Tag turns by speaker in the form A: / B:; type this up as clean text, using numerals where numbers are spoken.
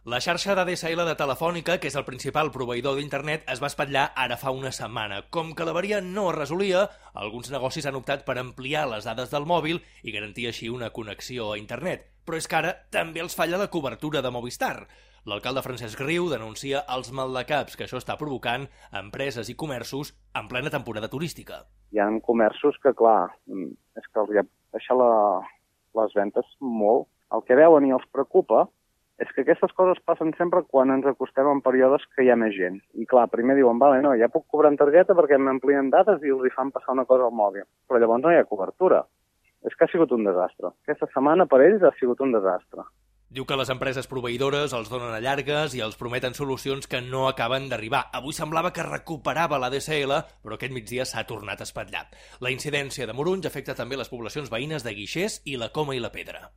A: La xarxa d'ADSL de Telefònica, que és el principal proveïdor d'internet, es va espatllar ara fa una setmana. Com que l'averia no es resolia, alguns negocis han optat per ampliar les dades del mòbil i garantir així una connexió a internet. Però és que ara també els falla la cobertura de Movistar. L'alcalde Francesc Riu denuncia els maldecaps que això està provocant a empreses i comerços en plena temporada turística.
B: Hi ha comerços que, clar, és que els baixa les ventes molt. El que veuen i els preocupa és que aquestes coses passen sempre quan ens acostem en períodes que hi ha més gent. I clar, primer diuen, vale, no, ja puc cobrar en targeta perquè m'amplien dades i els hi fan passar una cosa al mòbil. Però llavors no hi ha cobertura. És que ha sigut un desastre. Aquesta setmana per ells ha sigut un desastre.
A: Diu que les empreses proveïdores els donen a llargues i els prometen solucions que no acaben d'arribar. Avui semblava que recuperava l'ADSL, però aquest migdia s'ha tornat a espatllar. La incidència de Morunys afecta també les poblacions veïnes de Guixers i la Coma i la Pedra.